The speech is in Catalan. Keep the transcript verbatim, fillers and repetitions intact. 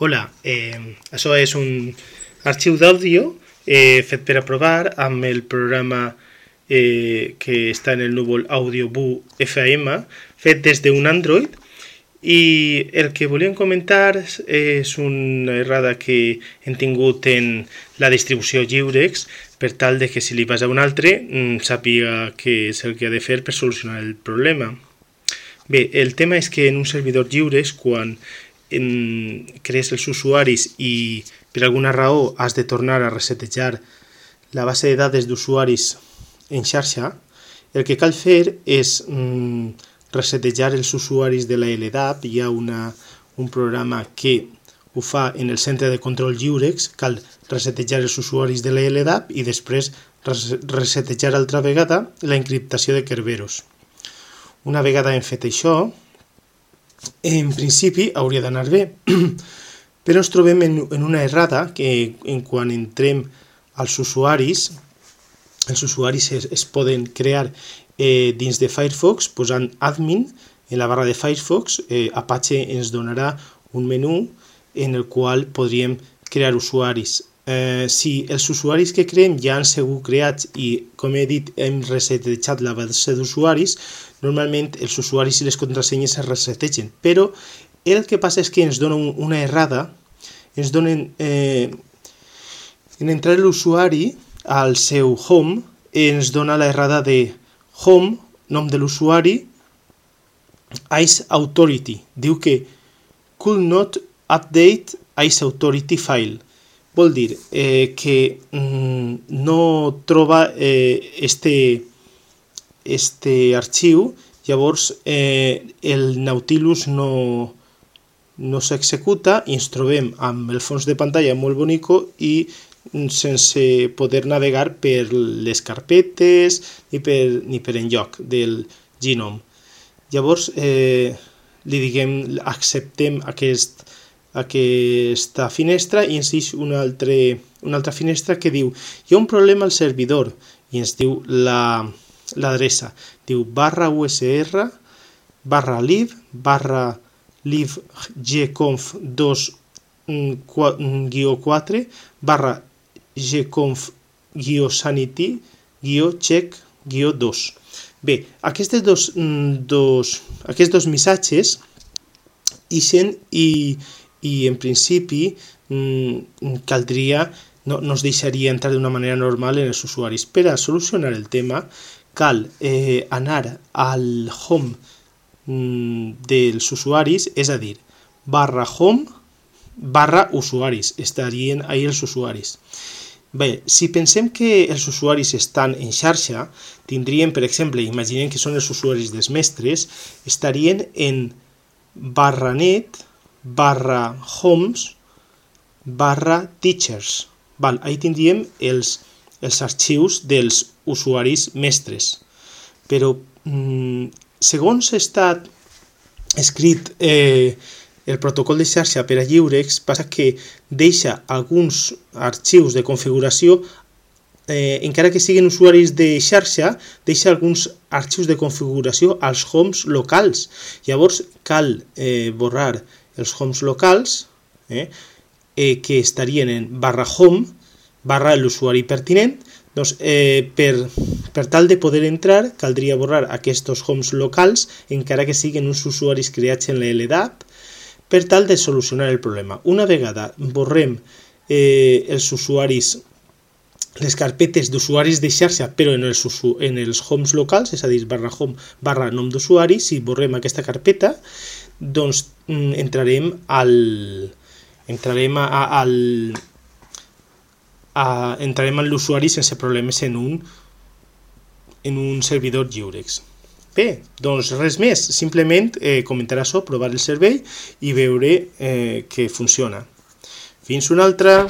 Hola, eh, això és un arxiu d'àudio eh, fet per a provar amb el programa eh, que està en el núvol AudioBoo F M fet des d'un Android, i el que volíem comentar és una errada que hem tingut en la distribució Lliurex, per tal de que si li vas a un altre sàpiga què és el que ha de fer per solucionar el problema. Bé, el tema és que en un servidor Lliurex, quan en, crees els usuaris i per alguna raó has de tornar a resetejar la base de dades d'usuaris en xarxa, el que cal fer és mm, resetejar els usuaris de la L D A P. Hi ha una, un programa que ho fa en el centre de control Lliurex. Cal resetejar els usuaris de la L D A P i després resetejar altra vegada la encriptació de Kerberos. Una vegada hem fet això, en principi hauria d'anar bé, però ens trobem en, en una errada que en quan entrem als usuaris, els usuaris es, es poden crear eh, dins de Firefox posant admin en la barra de Firefox. eh, Apache ens donarà un menú en el qual podríem crear usuaris. Eh, si els usuaris que creem ja han sigut creats i, com he dit, hem resetejat la base d'usuaris, normalment els usuaris i les contrasenyes es resetegen, però el que passa és que ens dona un, una errada. Ens donen, eh, en entrar l'usuari al seu home, ens dona la errada de home, nom de l'usuari, ice authority. Diu que could not update ice authority file. Vol dir eh, que mm, no troba eh, este, este arxiu, llavors eh, el Nautilus no, no s'executa i ens trobem amb el fons de pantalla molt bonico i sense poder navegar per les carpetes ni per, ni per enlloc del Gnome. Llavors eh, li diguem, acceptem aquest aquesta finestra i ens diu una, altre, una altra finestra que diu hi ha un problema al servidor i ens diu l'adreça. La, diu barra usr barra live barra live gconf dos guió quatre barra gconf guió sanity guió check guió dos. Bé, aquests dos, dos, aquests dos missatges ixen i i en principi mmm, caldria, no, no es deixaria entrar d'una manera normal en els usuaris. Per a solucionar el tema cal eh, anar al home mmm, dels usuaris, és a dir, barra home barra usuaris, estarien ahí els usuaris. Bé, si pensem que els usuaris estan en xarxa, tindrien, per exemple, imaginem que són els usuaris dels mestres, estarien en barra net barra homes barra teachers. Val, ahí tindríem els, els arxius dels usuaris mestres. Però mm, segons està escrit eh, el protocol de xarxa per a Lliurex, passa que deixa alguns arxius de configuració, eh, encara que siguin usuaris de xarxa, deixa alguns arxius de configuració als homes locals. Llavors cal eh, borrar els homes locals, eh, eh, que estarien en barra home, barra l'usuari pertinent. Doncs, eh, per, per tal de poder entrar, caldria borrar aquests homes locals, encara que siguin uns usuaris creats en la L D A P, per tal de solucionar el problema. Una vegada borrem eh, els usuaris, les carpetes d'usuaris de xarxa, però en els, en els homes locals, és a dir, barra home, barra nom d'usuari, si borrem aquesta carpeta, doncs entrarem al entrarem a, a, al a, entrarem a l'usuari sense problemes en un en un servidor Lliurex. Bé, doncs res més, simplement eh, comentar això, provar el servei i veure eh, que funciona. Fins una altra!